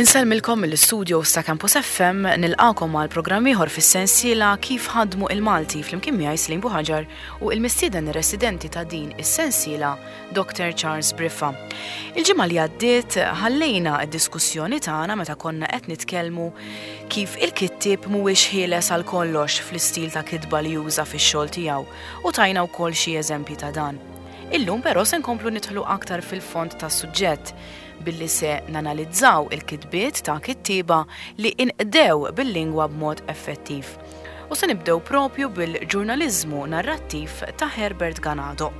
Insellmilkom mill-istudios ta' Campus FM, nilqagħkom għal programm ieħor fis-sensiela Kif Ħadmu il-Malti flimkien miegħi Slim Buħaġar u il-mistieden residenti ta' din is-sensiela Dr. Charles Briffa. Il-ġimgħa li għaddiet ħallejna d-diskussjoni tagħna meta konna qed nitkellmu kif il-kittieb mhuwiex ħieles għal kollox fl-istil ta' kitba li juża fix-xogħol tiegħu u tajna wkoll xi eżempji ta' dan. Illum però se nkomplu nidħlu aktar fil-fond tas-suġġett billi se nanalizzaw il-kitbiet ta' kittieba li inqdew bil-lingwa b'mod effettiv. U se nibdew propju bil-ġurnaliżmu narrattiv ta' Herbert Ganado.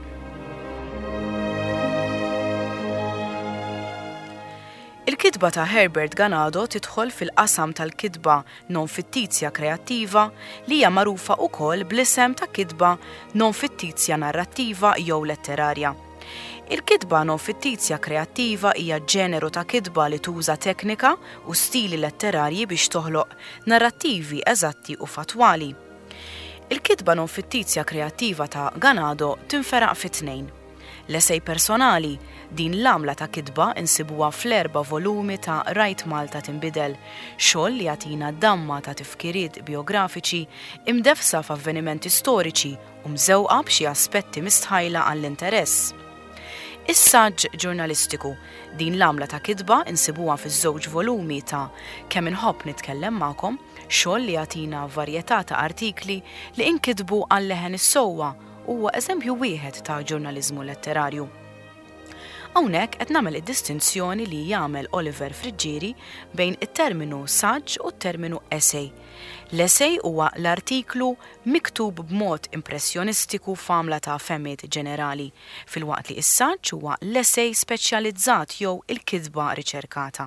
Il-kitba ta' Herbert Ganado tidħol fil-qasam tal-kitba non-fittizja kreattiva li hija magħrufa wkoll bl-isem ta' kitba non-fittizja narrattiva jew letterarja. Il-kitba non-fittizja kreattiva hija ġeneru ta' kitba li tuża teknika u stili letterarji biex toħloq narrattivi eżatti u fattwali. Il-kitba non-fittizja kreattiva ta' Ganado tinferaq fi tnejn. L-esej personali, din l-għamla ta' kitba nsibuha fl-erba' volumi ta' Rajt Malta Tinbidel, xogħol li jagħtina damma ta' tifkiriet bijografiċi imdeffsa f'avvenimenti storiċi u mżewqa b'xi aspetti mistħajla għall-interess. Is-saġġ ġurnalistiku, din l-għamla ta' kitba nsibuha fiż-żewġ volumi ta' Kemm Inħobb Nitkellem Magħkom, xogħol li jagħtina varjetà ta' artikli li inkitbu għal leħen is-sewwa u huwa eżempju wieħed ta' ġurnaliżmu letterarju. Hawnhekk qed nagħmel id-distinzjoni li jagħmel Oliver Friggieri bejn it-terminu saġġ u t-terminu essay. L-essay huwa l-artiklu miktub b'mod impressjonistiku f'għamla ta' fehmiet ġenerali, filwaqt li s-saġġ huwa l-essay speċjalizzat jew il-kitba riċerkata.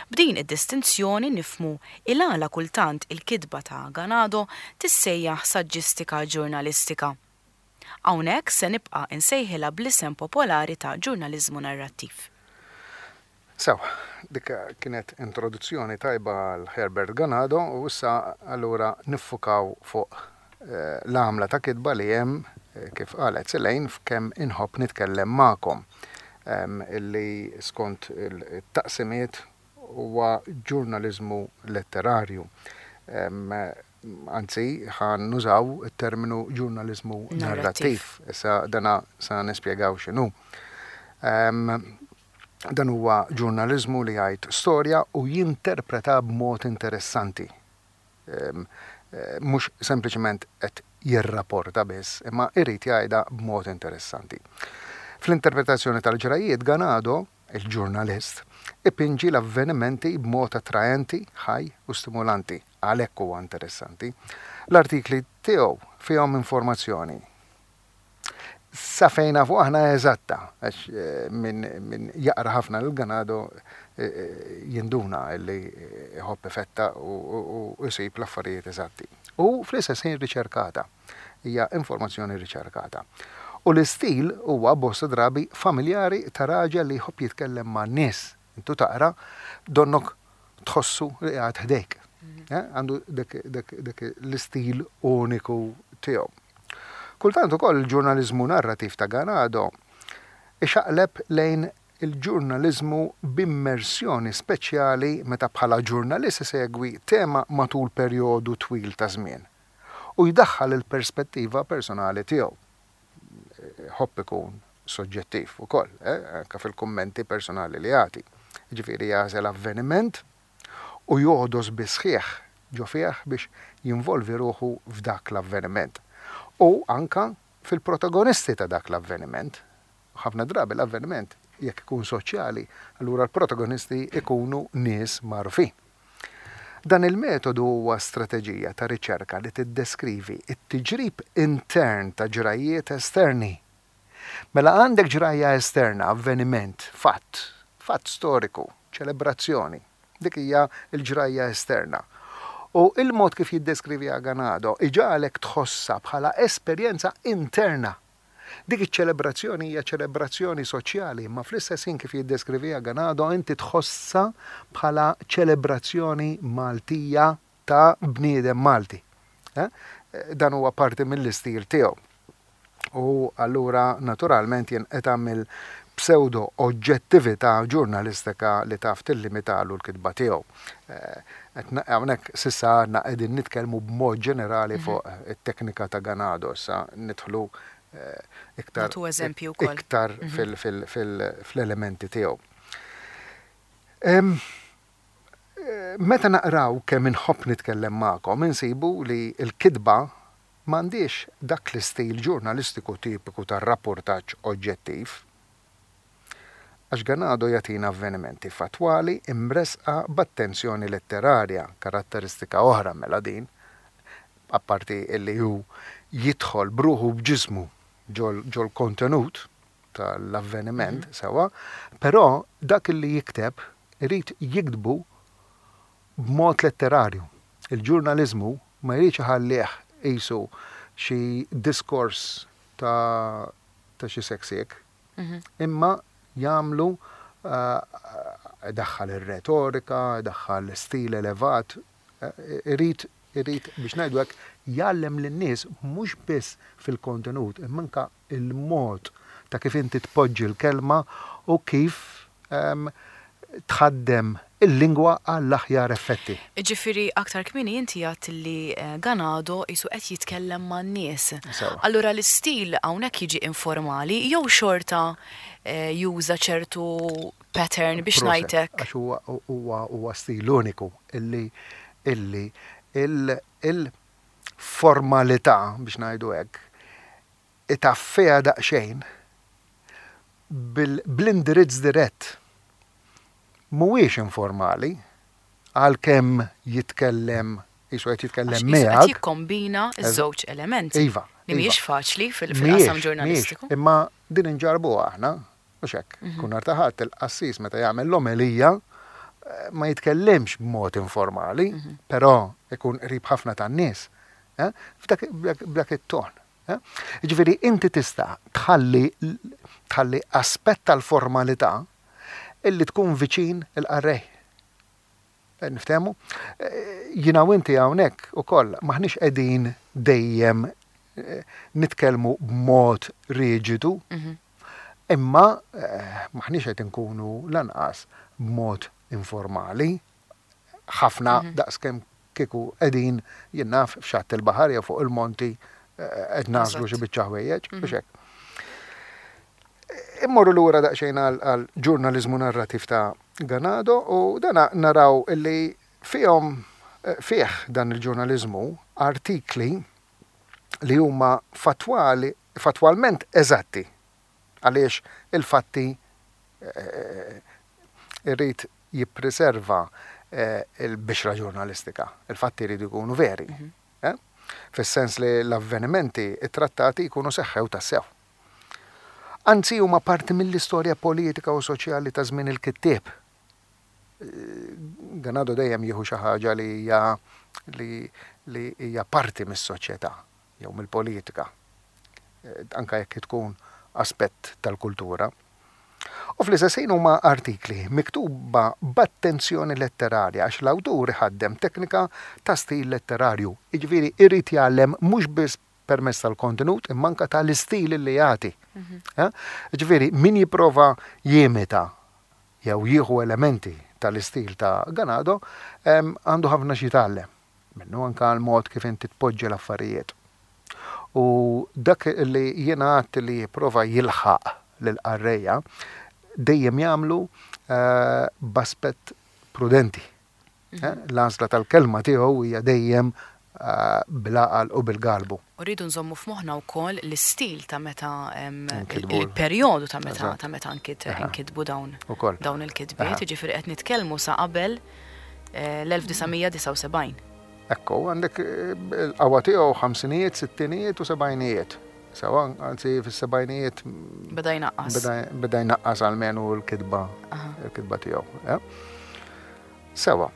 B'din id-distinzjoni nifhmu il-għala kultant il-kitba ta' Ganado tissejjaħ saġġistika ġurnalistika. Hawnhekk se nibqa' insejħilha bl-isem popolari ta' ġurnaliżmu narrattiv. Sew, dik kienet introduzzjoni tajba għal Herbert Ganado u issa allura niffukaw fuq l-għamla ta' kitba li hemm, kif qalet Selaine, f'Kemm Inħobb Nitkellem Magħkom, illi skont it-taqsimiet huwa ġurnaliżmu letterarju. Anzi, ħa nużaw it-terminu ġurnaliżmu narrattiv. Issa dana sa nispjegaw x'inhu. Dan huwa ġurnaliżmu li jgħid storja u jinterpreta b'mod interessanti. Mhux sempliċement qed jirrapporta biss, imma jrid jgħidha b'mod interessanti. Fl-interpretazzjoni tal-ġrajjiet, Ganado, il-ġurnalist, ipinġi l-avvenimenti b'mod attraenti, ħaj u stimulanti. Għalhekk huwa interessanti. L-artikli tiegħu fihom informazzjoni Sa fejn nafu aħna eżatta, għax min, min jaqra ħafna lil Ganado jinduna li jħobb ifetta u jsib l-affarijiet eżatti. U fl-istess ħin riċerkata, hija informazzjoni riċerkata. U l-istil huwa bosta drabi familjari ta' raġel li jħobb jitkellem man-nies. Intu taqra, donnok tħossu li qiegħed ħdejk. Għandu dak l-istil uniku tiegħu. Kultant ukoll il-ġurnaliżmu narrativ ta' Ganado ixaqleb lejn il-ġurnaliżmu b'immersjoni speċjali meta bħala ġurnalist isegwi tema matul perjodu twil ta' żmien u jdaħħal il-perspettiva personali tiegħu. Iħobb ikun soġġettiv ukoll, anke fil-kummenti personali li jagħti. Jiġifieri jagħżel avveniment u jogħdos bis-sħiħ ġo fih biex jinvolvi ruħu f'dak l-avveniment u anke fil-protagonisti ta' dak l-avveniment. Ħafna drabi l-avveniment jekk ikun soċjali, allura l-protagonisti jkunu nies magħrufin. Dan il-metodu huwa strateġija ta' riċerka li tiddeskrivi t-tiġrib intern ta' ġrajjiet esterni. Mela għandek ġrajja esterna, avveniment, fatt, fatt storiku, ċelebrazzjoni. Dik hija l-ġrajja esterna. U il-mod kif jiddeskriviha Ganado iġagħlek tħossha bħala esperjenza interna. Dik iċ-ċelebrazzjoni hija ċelebrazzjoni soċjali, imma fl-istess ħin kif jiddeskriviha Ganado inti tħossha bħala ċelebrazzjoni Maltija ta' bniedem Malti. Dan huwa parti mill-istil tiegħu. U allura naturalment jinqeta' mill. pseudo oġġettività ġurnalistika li taf tillimitalu l-kitba tiegħu. Hawnhekk s'issa għadna qegħdin nitkellmu b'mod ġenerali fuq it-teknika ta' Ganado, issa nidħlu iktar iktar fl-elementi tiegħu. Meta naqraw kemm inħobb nitkellem magħkom insibu li l-kitba m'għandhiex dak l-istil ġurnalistiku tipiku tar-rappurtaġġ oġġettiv. Għax Ganado jagħtina avvenimenti fattwali imressqa b'attenzjoni letterarja, karatteristika oħra mela din, apparti illi hu jidħol b'ruħu u b'ġismu ġol-kontenut tal-avveniment, sewwa, però dak illi jikteb irid jiktbu b'mod letterarju. Il-ġurnaliżmu ma jridx iħallih qisu xi diskors ta' ta' xi seksiek, imma jagħmlu idaħħal ir-retorika, idaħħal stil elevat, irid irid biex ngħidu hekk jgħallem lin-nies mhux biss fil-kontenut imma anke il-mod ta' kif inti tpoġġi l-kelma u kif tħaddem il-lingwa għall-aħjar effetti. Jiġifieri aktar kmieni inti għedt li Ganado qisu qed jitkellem man-nies. Sewwa. Allura l-istil hawnhekk jiġi informali jew xorta juża ċertu pattern biex ngħid hekk? Għax huwa huwa huwa stil uniku illi illi il-formalità biex ngħidu hekk itaffiha daqsxejn bl-indirizz dirett. Mhuwiex informali, għalkemm jitkellem qisu qed jitkellem miegħek. Għax qed jikkombina ż-żewġ elementi. Iva. Li mhijiex faċli fil-qasam ġurnalistiku. Imma din inġarrbuha aħna, mhux hekk? Kull nhar ta' Ħadd il-qassis meta jagħmel l-omelija ma jitkellimx b'mod informali, però ikun qrib ħafna tan-nies. B'dak it-ton. Jiġifieri inti tista' tħalli tħalli aspett tal-formalità illi tkun viċin il-qarrej. Niftehmu? Jiena u inti hawnhekk ukoll m'aħniex qegħdin dejjem nitkellmu b'mod riġidu, imma m'aħniex qed inkunu lanqas b'mod informali ħafna daqskemm kieku qegħdin, jien naf, f'xatt il-baħar jew fuq il-monti qed nagħżlu xi biċċa ħwejjeġ, mhux hekk. Immorru lura daqsxejn għal ġurnaliżmu narrativ ta' Ganado u dana naraw illi fihom fih dan il-ġurnaliżmu artikli li huma fattwali fattwalment eżatti għaliex il-fatti irid jippriserva l-bixra ġurnalistika. Il-fatti jridu jkunu veri. Fis-sens li l-avvenimenti ttrattati jkunu seħħew tassew. Anzi huma parti mill-istorja politika u soċjali ta' żmien il-kittieb. Ganado dejjem jieħu xi ħaġa li hija li hija parti mis-soċjetà jew mill-politika, anke jekk tkun aspett tal-kultura. U fl-istess ħin huma artikli miktuba b'attenzjoni letterarja għax l-awtur iħaddem teknika ta' stil letterarju, jiġifieri jrid jgħallem mhux biss permezz tal-kontenut imma anke tal-istil li jagħti. Jiġifieri min jipprova jimita jew jieħu elementi tal-istil ta' Ganado għandu ħafna x'jitgħallem minnu anke għall-mod kif inti tpoġġi l-affarijiet. U dak li jiena għadt li jipprova jilħaq lill-qarrejja dejjem jagħmlu b'aspett prudenti. L-għażla tal-kelma tiegħu hija dejjem bil-għaqal u bil-galbu. U rridu nżommu f'moħħna wkoll l-istil ta' meta il-perjodu ta' meta ta' meta nkitbu dawn dawn il-kitbiet, jiġifieri qed nitkellmu sa qabel l-1979. Ekku, għandek il-qawwa tiegħu ħamsinijiet, sittinijiet u sebgħinijiet. Sewa, anzi fis-sebgħinijiet. Beda jnaqqas. Beda jnaqqas almenu l-kitba l-kitba tiegħu. Sewa.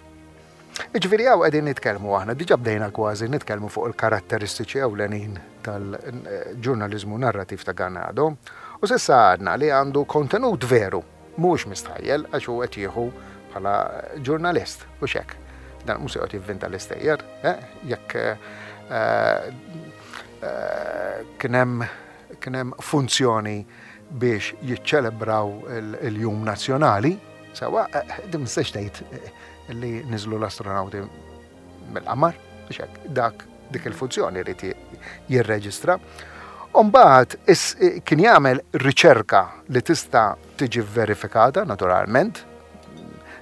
Jiġifieri hawn qegħdin nitkellmu aħna, diġà bdejna kważi nitkellmu fuq il-karatteristiċi ewlenin tal-ġurnaliżmu narrativ ta' Ganado, u s'issa għadna li għandu kontenut veru, mhuwiex mistħajjel għax hu qed jieħu bħala ġurnalist, hux hekk. Dan mhux se joqgħod jivvinta l-istejjer, eh? jekk eh, eh, kien hemm kien hemm funzjoni biex jiċċelebraw il-Jum Nazzjonali, sewwa, din ma tistax tgħid li niżlu l-astronawti mill-qamar, biex hekk dak dik il-funzjoni jrid jirreġistra. U mbagħad kien jagħmel riċerka li tista' tiġi verifikata naturalment,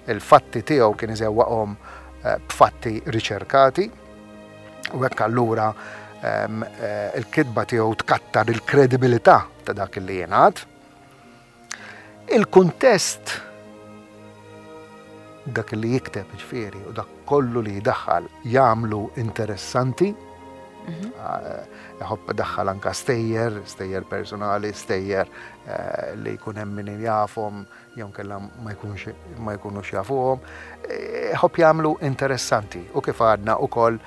il-fatti tiegħu kien iżewwaqhom eh, b'fatti riċerkati u hekk allura ehm, eh, il-kitba tiegħu tkattar il-kredibilità ta' dak li jingħad. Il-kuntest dak li jikteb ġifieri u dak kollu li jdaħħal jagħmlu interessanti. Mhm. Eh, iħobb daħħal anka stejjer, stejjer personali, stejjer eh, li jkun hemm min jafhom jew kella ma jkunx ma jkunux jafuhom. Eh, iħobb jagħmlu interessanti u kif għadna ukoll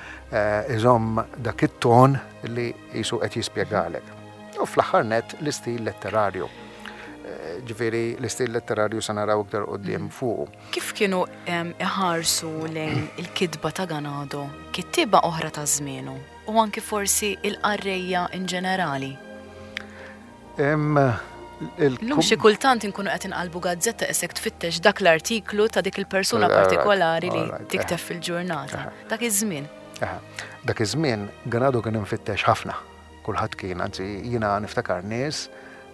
iżomm dak it-ton li jisu qed jispjegalek. U fl-aħħar nett l-istil letterarju. Ġifieri l-istil letterarju se naraw iktar quddiem fuqu. Kif kienu iħarsu lejn il-kitba ta' Ganado kittieba oħra ta' żmienu u anki forsi il-qarrejja in ġenerali? Illum xi kultant inkunu qed inqalbu gazzetta isek tfittex dak l-artiklu ta' dik il-persuna partikolari li tikteb fil-ġurnata. Dak iż-żmien. Dak iż-żmien Ganado kien imfittex ħafna. Kulħadd kien, anzi jiena niftakar nies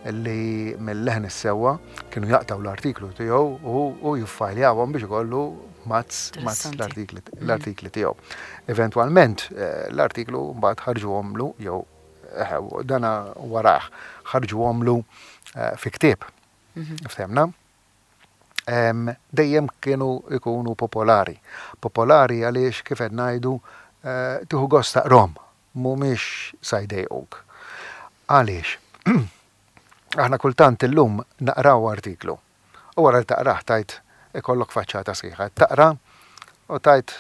li mill-leħen is-sewwa kienu jaqtgħu l-artiklu tiegħu u jiffajljawhom biex ikollu mazz mazz l-artikli tiegħu. Eventwalment eh, l-artiklu mbagħad ħarġuhomlu jew eh, dana warah ħarġuhomlu eh, fi ktieb. Mhm. Ftemna? Dejjem kienu ikunu popolari. Popolari għaliex kif qed ngħidu tieħu gost taqrom mhumiex sa jdejquk. Għaliex? Aħna kultant illum naqraw artiklu u wara li taqrah tgħid ikollok faċċata sħiħa. Taqra u tgħid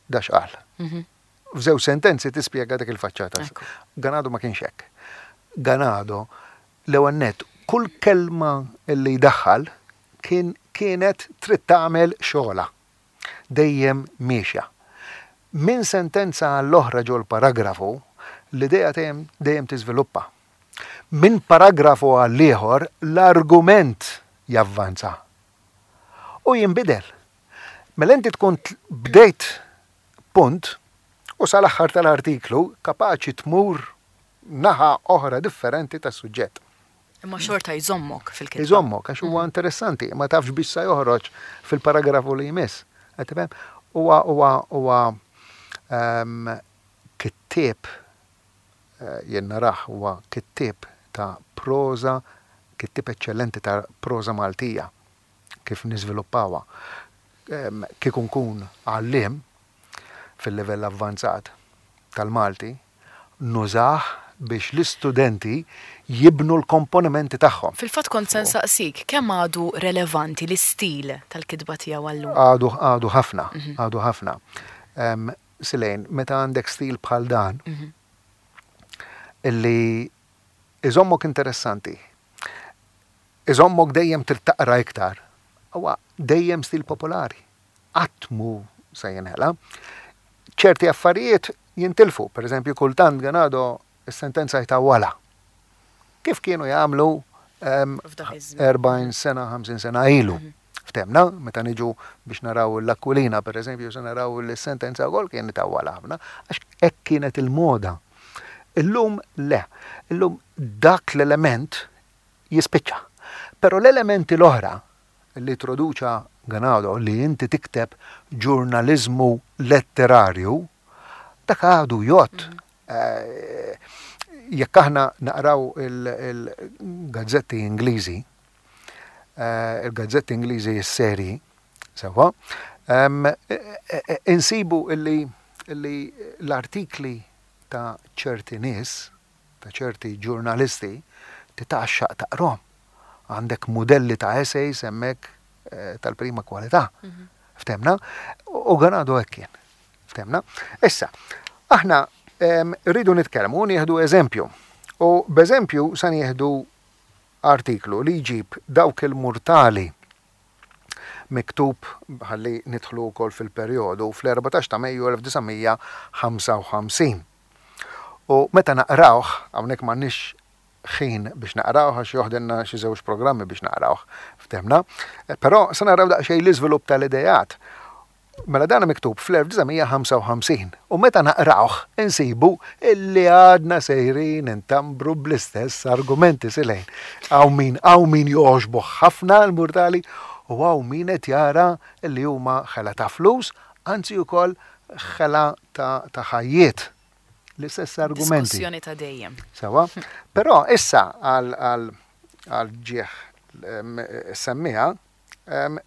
da x'qal. Mhm. F'żewġ sentenzi tispjega dik il-faċċata. Ganado ma kienx hekk. Ganado l-ewwel nett kull kelma li jdaħħal kien kienet trid tagħmel xogħla. dejjem miexja. Minn sentenza għall-oħra ġol-paragrafu, l-idea dejjem dejjem tiżviluppa. Minn paragrafu għall-ieħor, l-argument javvanza u jinbidel. Mela inti tkun bdejt punt u sal-aħħar tal-artiklu kapaċi tmur naħa oħra differenti tas-suġġett. Imma xorta jżommok fil-kitba. Jżommok, għax huwa interessanti, ma tafx biex sa joħroġ fil-paragrafu li jmiss. Qed tifhem? Huwa huwa huwa ehm, kittieb eh, jien narah huwa kittieb ta' proża, kittieb eċċellenti ta' proża Maltija kif niżviluppawha. Ehm, kieku nkun għalliem fil-livell avvanzat tal-Malti, nużah biex l-istudenti jibnu l-komponimenti tagħhom. Fil-fatt kont se nsaqsik, kemm għadu relevanti l-istil tal-kitba tiegħu għal-lum? Għadu, għadu ħafna, għadu ħafna. Silejn, meta għandek stil bħal dan, illi iżommok interessanti, iżommok dejjem trid taqra iktar, huwa dejjem stil popolari. Qatt mhu se jinħela. Ċerti affarijiet jintilfu, per eżempju kultant Ganado s-sentenza jtawwalha. Kif kienu jagħmlu 40 sena, 50 sena ilu. Mhm. Ftemna, meta niġu biex naraw l-Aquilina, per eżempju, se naraw l-sentenza wkoll kien itawwalha ħafna, għax hekk kienet il-moda. Illum le, illum dak l-element jispiċċa. Però l-elementi l-oħra li introduċa Ganado li inti tikteb ġurnaliżmu letterarju, dak għadu jgħodd. Eh, jekk aħna naqraw il-gazzetti Ingliżi, eh, il-gazzetti Ingliżi s-seri, sewwa, eh, insibu illi l-artikli ta' ċerti nies, ta' ċerti ġurnalisti, titgħaxxaq taqrahom. Għandek mudelli ta' essays hemmhekk tal-prima kwalità. Mhm. Ftemna? U Ganado hekk kien. Ftemna? Issa, aħna rridu nitkellmu nieħdu eżempju. U b'eżempju sa nieħdu artiklu li jġib dawk il-murtali miktub ħalli nidħlu wkoll fil-perjodu fl-14 ta' Mejju 1955. U meta naqrawh, hawnhekk m'għandniex ħin biex naqrawh għax joħdilna xi żewġ programmi biex naqrawh, ftehmna. Però se naraw daqsxejn l-iżvilupp tal-ideat. Mela dan miktub fl-1955 u meta naqrawh insibu illi għadna sejrin intambru bl-istess argumenti silejn. Hawn min hawn min jogħġbuh ħafna l-murtali u hawn min qed jara illi huma ħela ta' flus, anzi wkoll ħela ta' ta' ħajjiet. L-istess argumenti. Diskussjoni ta' dejjem. Sewa. Però issa għal għal għal ġieħ semmiha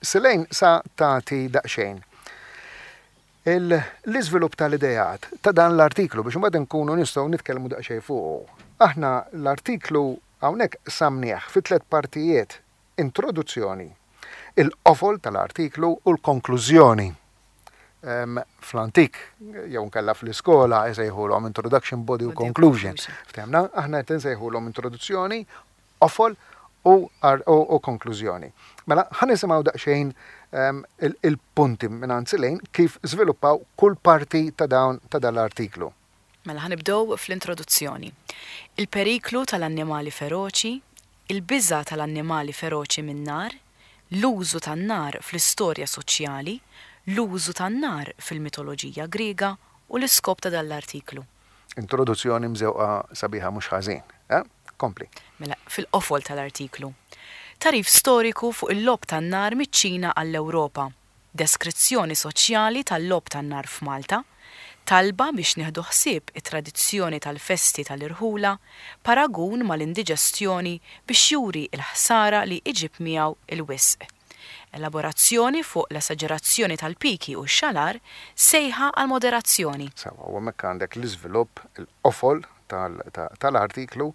Silejn sa tagħti daqsxejn l-iżvilupp tal-ideat ta' dan l-artiklu biex imbagħad inkunu nistgħu nitkellmu daqsxejn fuqu. Aħna l-artiklu hawnhekk qsamnieh fi tlett partijiet, introduzzjoni, il-qofol tal-artiklu u l-konklużjoni. Fl-antik jew inkella fl-iskola jsejħulhom introduction, body u conclusion. Ftehmna? Aħna qed insejħulhom introduzzjoni, qofol u u konklużjoni. Mela, ħa nisimgħu daqsxejn il-punti mingħand Silejn kif żviluppaw kull parti ta' dawn ta' dan l-artiklu. Mela ħa nibdew fl-introduzzjoni. Il-periklu tal-annimali feroċi, il-biża' tal-annimali feroċi min-nar, l-użu tan-nar fl-istorja soċjali, l-użu tan-nar fil-mitoloġija Griega u l-iskop ta' dan l-artiklu. Introduzzjoni mżewqa sabiħa mhux ħażin, eh? Kompli. Mela, fil-qofol tal-artiklu. Tagħrif storiku fuq il-logħob tan-nar miċ-Ċina għall-Ewropa. Deskrizzjoni soċjali tal-logħob tan-nar f'Malta. Talba biex nieħdu ħsieb it-tradizzjoni tal-festi tal-irħula. Paragun mal-indiġestjoni biex juri l-ħsara li iġib miegħu l-wisq. Elaborazzjoni fuq l-esaġerazzjoni tal-piki u x-xalar, sejħa għall-moderazzjoni. Sewwa, u hemmhekk għandek l-iżvilupp, il-qofol tal-artiklu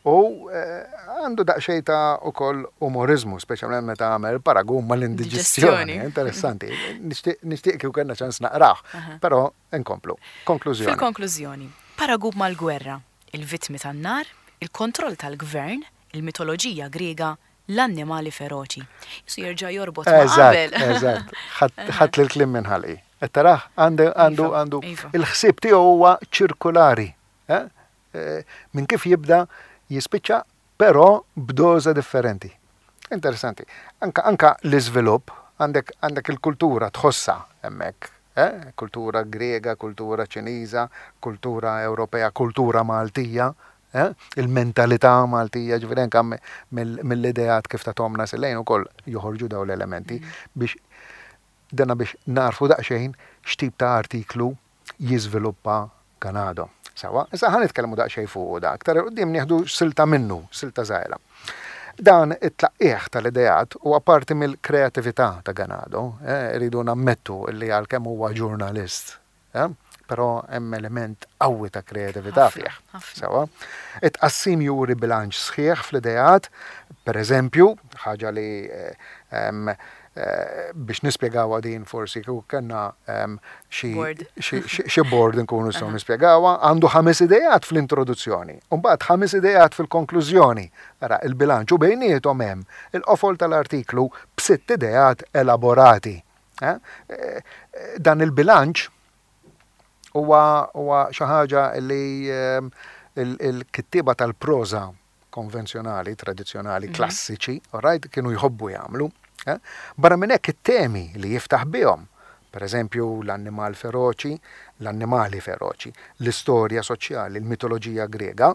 u għandu daqsxejn ta' ukoll umoriżmu, speċjalment meta għamel paragun mal-indiġestjoni. Interessanti. Nixtieq kieku kellna ċans naqrah, però nkomplu. Konklużjoni. Fil-konklużjoni, paragun mal-gwerra, il-vittmi tan-nar, il-kontroll tal-gvern, il-mitoloġija Griega, l-annimali feroċi. Qisu jerġa' jorbot ma' qabel. Eżatt, eżatt. Ħadt l-kliem minn ħalqi. Qed tarah? Għandu, għandu, iva, għandu. Iva. Il-ħsieb tiegħu huwa ċirkulari. Eh? Eh, minn kif jibda jispiċċa, però b'doża differenti. Interessanti. Anka, anka l-iżvilupp, għandek, għandek il-kultura tħossha hemmhekk. Eh? Kultura Griega, kultura Ċiniża, kultura Ewropea, kultura Maltija. Il-mentalità Maltija, ġifieri anke mill-ideat kif tathomna Silejn ukoll joħorġu dawn l-elementi biex dana biex nagħrfu daqsxejn x'tip ta' artiklu jiżviluppa Ganado. Sewwa, issa ħa nitkellmu daqsxejn fuqu da, aktar 'il quddiem nieħdu silta minnu, silta żgħira. Dan it-tlaqqigħ tal-ideat huwa parti mill-kreatività ta' Ganado, irridu nammettu li għalkemm huwa ġurnalist, Però hemm element qawwi ta' kreatività fih. Sewa. It-tqassim juri bilanċ sħiħ fl-ideat, per eżempju, ħaġa li eh, biex nispjegawha din forsi kieku kellna xi board nkunu nistgħu nispjegawha, għandu ħames ideat fl-introduzzjoni, u mbagħad ħames ideat fil-konklużjoni. Ara, il-bilanċ u bejniethom hemm il-qofol tal-artiklu b'sitt ideat elaborati. Eh? Eh, dan il-bilanċ huwa huwa xi ħaġa li ehm, il-kittieba tal-proża konvenzjonali, tradizzjonali, mhm. klassiċi, right, kienu jħobbu jagħmlu. Eh? Barra minn hekk it-temi li jiftaħ bihom, per eżempju l-annimal feroċi, l-annimali feroċi, l-istorja soċjali, l-mitoloġija Grega,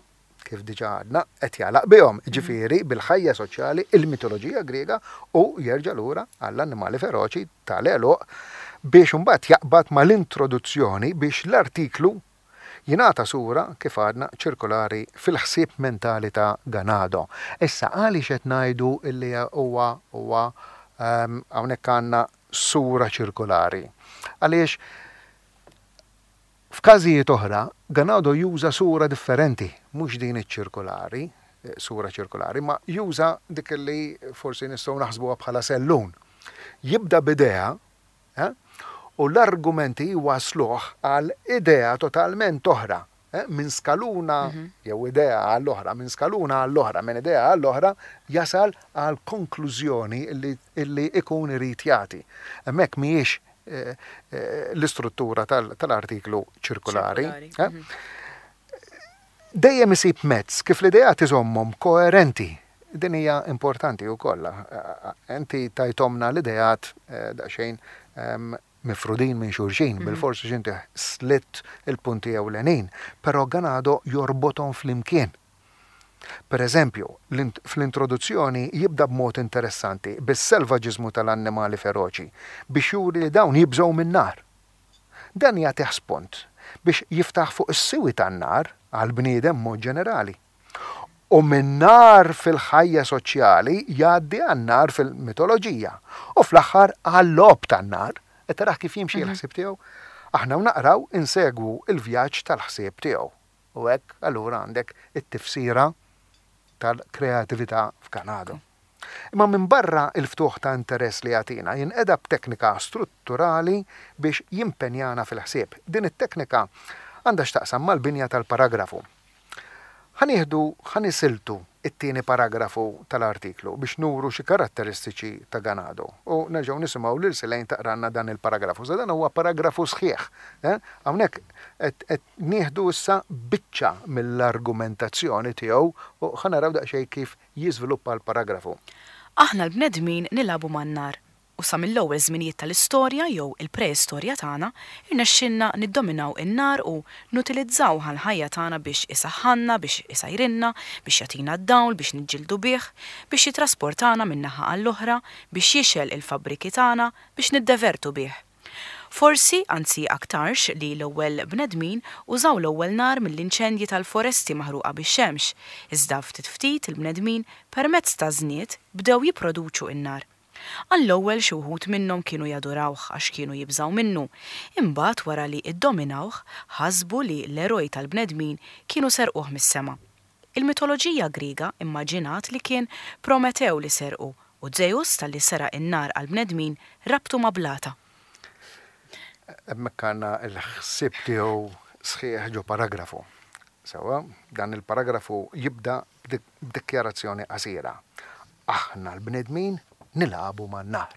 kif diġà għadna, qed jagħlaq bihom, jiġifieri bil-ħajja soċjali, il-mitoloġija Griega u jerġa' lura għall-annimali feroċi tal-għeluq biex imbagħad jaqbad mal-introduzzjoni biex l-artiklu jingħata sura, kif għadna, ċirkolari fil-ħsieb mentali ta' Ganado. Issa għaliex qed ngħidu li huwa huwa hawnhekk għandna sura ċirkolari? Għaliex F'każijiet oħra, Ganado juża sura differenti, mhux din iċ-ċirkulari, sura ċirkulari, imma juża dik li forsi nistgħu naħsbuha bħala sellun. Jibda b'idea, eh, u l-argumenti jwassluh għal idea totalment oħra, eh, minn skaluna jew idea għal oħra, minn skaluna għal oħra, minn idea għal oħra, jasal għal konklużjoni li ikun irid jagħti. Hemmhekk mhijiex l-istruttura tal-artiklu ċirkulari. Mhm. Dejjem isib mezz kif l-ideat iżommhom koerenti. Din hija importanti wkoll. Inti tajthomna l-ideat daqsxejn mifrudin minn xulxin, bilfors għax inti slitt il-punti ewlenin, però Ganado jorbothom flimkien. Per eżempju, fl-introduzzjoni jibda b'mod interessanti bis-selvaġiżmu tal-annimali feroċi biex juri li dawn jibżgħu min-nar. Dan jagħtih spunt biex jiftaħ fuq is-siwi tan-nar għall-bniedem b'mod ġenerali. U min-nar fil-ħajja soċjali jgħaddi għan-nar fil-mitoloġija u fl-aħħar għal-logħob tan-nar. Qed tarah kif jimxi l-ħsieb tiegħu? Aħna u naqraw insegwu l-vjaġġ tal-ħsieb tiegħu. U hekk allura għandek it-tifsira tal-kreatività f'Ganado. Imma minbarra l-ftuħ ta' interess li jagħtina, jinqeda b'teknika strutturali biex jimpenjana fil-ħsieb. Din it-teknika għandha x'taqsam mal-binja tal-paragrafu. Ħa nieħdu, ħa nisiltu t-tieni paragrafu tal-artiklu biex nuru xi karatteristiċi ta' Ganado. U nerġgħu nisimgħu lil Selaine taqralna dan il-paragrafu. Sa dan huwa paragrafu sħiħ. Hawnhekk qed nieħdu issa biċċa mill-argumentazzjoni tiegħu u ħa naraw daqsxejn kif jiżviluppa l-paragrafu. Aħna l-bnedmin nilagħbu man-nar, u sa mill-ewwel żminijiet tal-istorja jew il-preistorja tagħna rnexxielna niddominaw in-nar u nutilizzawh għall-ħajja tagħna biex isaħħanna, biex isajrinna, biex jagħtina d-dawl, biex niġġieldu bih, biex jittrasportana minn naħa għall-oħra, biex jixgħel il-fabbriki tagħna, biex niddevertu bih. Forsi, anzi aktarx, li l-ewwel bnedmin użaw l-ewwel nar mill-inċendji tal-foresti maħruqa bix-xemx, iżda ftit ftit il-bnedmin, permezz taż-żnied, bdew jipproduċu n-nar. Għall-ewwel xi wħud minnhom kienu jadurawh għax kienu jibżgħu minnu, imbagħad wara li ddominawh ħasbu li l-eroj tal-bnedmin kienu serquh mis-sema. Il-mitoloġija Griega immaġinat li kien Prometew li serqu u Zeus talli seraq in-nar għall-bnedmin rabtu ma' blata. Hemmhekk għandna l-ħsieb tiegħu sħiħ ġo paragrafu. Sewwa, dan il-paragrafu jibda b'dikjarazzjoni qasira. Aħna l-bnedmin nilagħbu man-nar.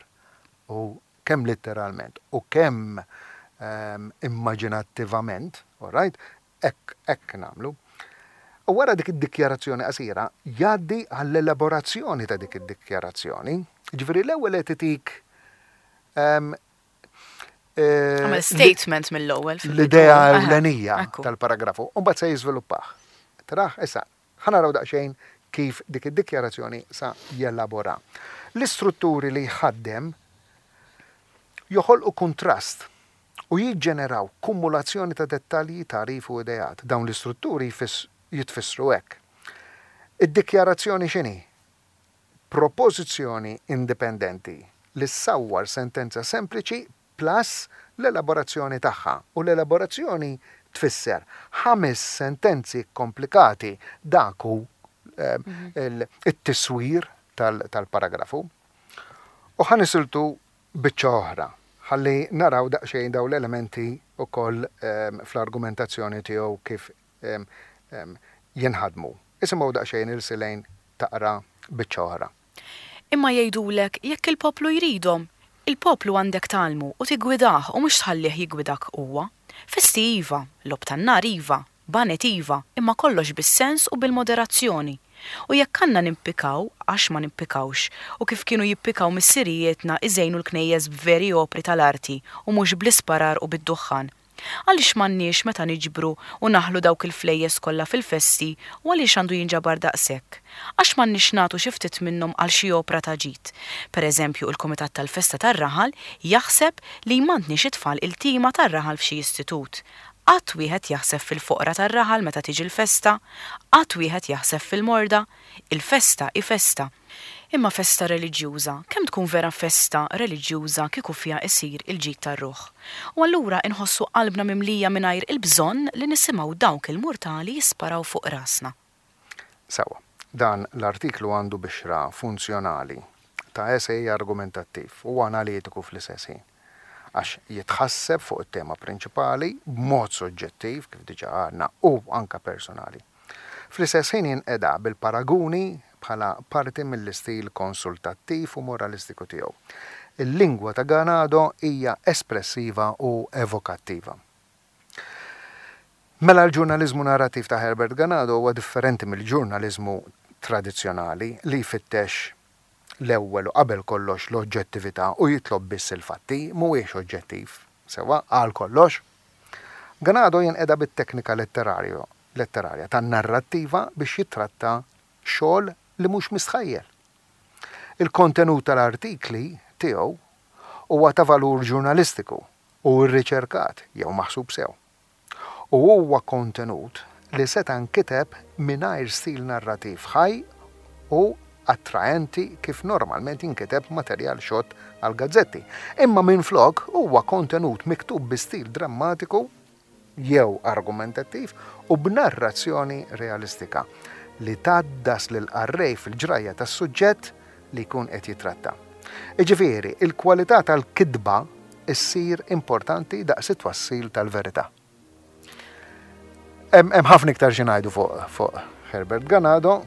U kemm litteralment u kemm immaġinattivament, all right, Hekk, hekk nagħmlu. U wara dik id-dikjarazzjoni qasira, jgħaddi għall-elaborazzjoni ta' dik id-dikjarazzjoni. Jiġifieri l-ewwel qed itik Għamel statement mill-ewwel. L-idea ewlenija tal-paragrafu, u mbagħad se jiżviluppah. Taraħ, issa, ħa naraw daqsxejn kif dik id-dikjarazzjoni sa jelabora. L-istrutturi li jħaddem joħolqu kuntrast u jiġġeneraw kumulazzjoni ta' dettalji, tagħrif u ideat. Dawn l-istrutturi jitfissru hekk. Id-dikjarazzjoni x'inhi? Propożizzjoni indipendenti li ssawwar sentenza sempliċi plus l-elaborazzjoni tagħha. U l-elaborazzjoni tfisser ħames sentenzi kkomplikati, dak hu it-tiswir tal-paragrafu. U ħa nisiltu biċċa oħra, ħalli naraw daqsxejn dawn l-elementi wkoll fl-argumentazzjoni tiegħu kif jinħadmu. Isimgħu daqsxejn 'il Silane taqra biċċa oħra. Imma jgħidulek jekk il-poplu jridhom. Il-poplu għandek tgħallmu u tiggwidah u mhux tħallih jiggwidak huwa. Festi iva, logħob tan-nar iva, Baned iva, imma kollox bis-sens u bil-moderazzjoni. U jekk għandna nimpikaw, għax ma nimpikawx, u kif kienu jippikaw missirijietna iżejnu l-knejjes b'veri opri tal-arti u mhux bl-isparar u bid-duħħan. Għaliex m'għandniex meta niġbru u naħlu dawk il-flejjes kollha fil-festi u għaliex għandu jinġabar daqshekk? Għax m'għandniex nagħtu xi ftit minnhom għal xi opra ta' ġid? Per eżempju il-kumitat tal-festa tar-raħal jaħseb li jmantni xi tfal iltima tar-raħal f'xi istitut. Qatt wieħed jaħseb fil-foqra tar-raħal meta tiġi l-festa? Qatt wieħed jaħseb fil-morda? Il-festa hi festa. Imma festa reliġjuża, kemm tkun vera festa reliġjuża kieku fiha isir il-ġid tar-ruħ? U allura inħossu qalbna mimlija mingħajr il-bżonn li nisimgħu dawk il-murtali jisparaw fuq rasna. Sewwa. Dan l-artiklu għandu bixra funzjonali ta' esej argumentattiv u analitiku fl-istess ħin, għax jitħasseb fuq it-tema prinċipali b'mod soġġettiv, kif diġà għadna, u anke personali. Fl-istess ħin jinqeda bil-paraguni bħala parti mill-istil konsultattiv u moralistiku tiegħu. Il-lingwa ta' Ganado hija espressiva u evokattiva. Mela l-ġurnaliżmu narrattiv ta' Herbert Ganado huwa differenti mill-ġurnaliżmu tradizzjonali li jfittex l-ewwel u qabel kollox l-oġġettività u jitlob biss il-fatti, mhuwiex oġġettiv, sewwa, għal kollox. Ganado jinqeda bit-teknika letterarja tan-narrattiva biex jittratta xogħol li mhux mistħajjel. Il-kontenut tal-artikli tiegħu huwa ta' valur ġurnalistiku u rriċerkat jew maħsub sew. U huwa kontenut li seta' nkiteb mingħajr stil narrativ ħaj u attraenti kif normalment jinkiteb materjal xott għall-gazzetti, imma minflok huwa kontenut miktub bi stil drammatiku jew argumentattiv u b'narrazzjoni realistika li tgħaddas lill-qarrej fil-ġrajja tas-suġġett li jkun qed jittratta. Jiġifieri, il-kwalità tal-kitba ssir importanti daqs it-twassil tal-verità. Hemm ħafna iktar xi ngħidu fuq fuq Herbert Ganado,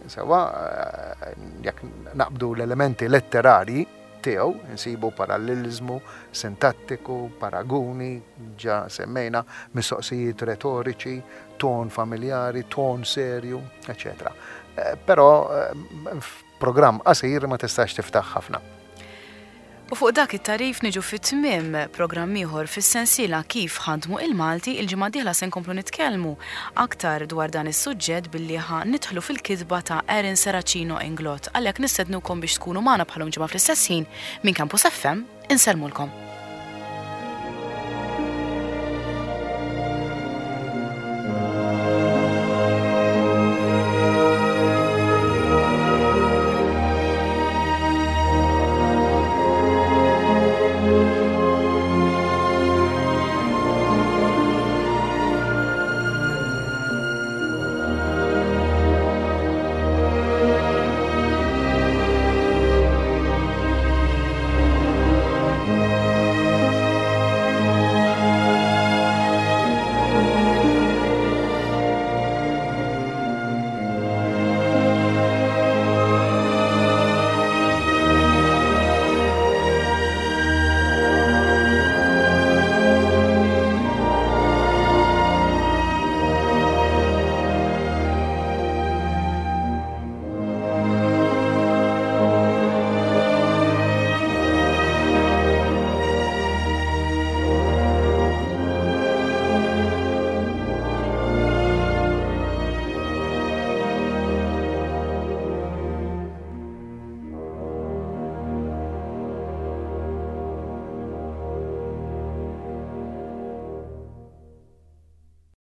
sewwa eh, jekk naqbdu l-elementi letterarji tiegħu, insibu paralleliżmu sintattiku, paraguni, ġa semmejna, mistoqsijiet retoriċi, ton familjari, ton serju, eċetera. Eh, però eh, Programm qasir ma tistax tiftaħ ħafna. U fuq dak it-tagħrif niġu fi tmiem programm ieħor fis-sensiela Kif Ħadmu il-Malti. Il-ġimgħa d-dieħla se nkomplu nitkellmu aktar dwar dan is-suġġett billi ħa nidħlu fil-kitba ta' Aaron Serracino Inglott. Għalhekk nistednukom biex tkunu magħna bħalhom ġimgħa fl-istess ħin minn Campus FM. Insellmulkom.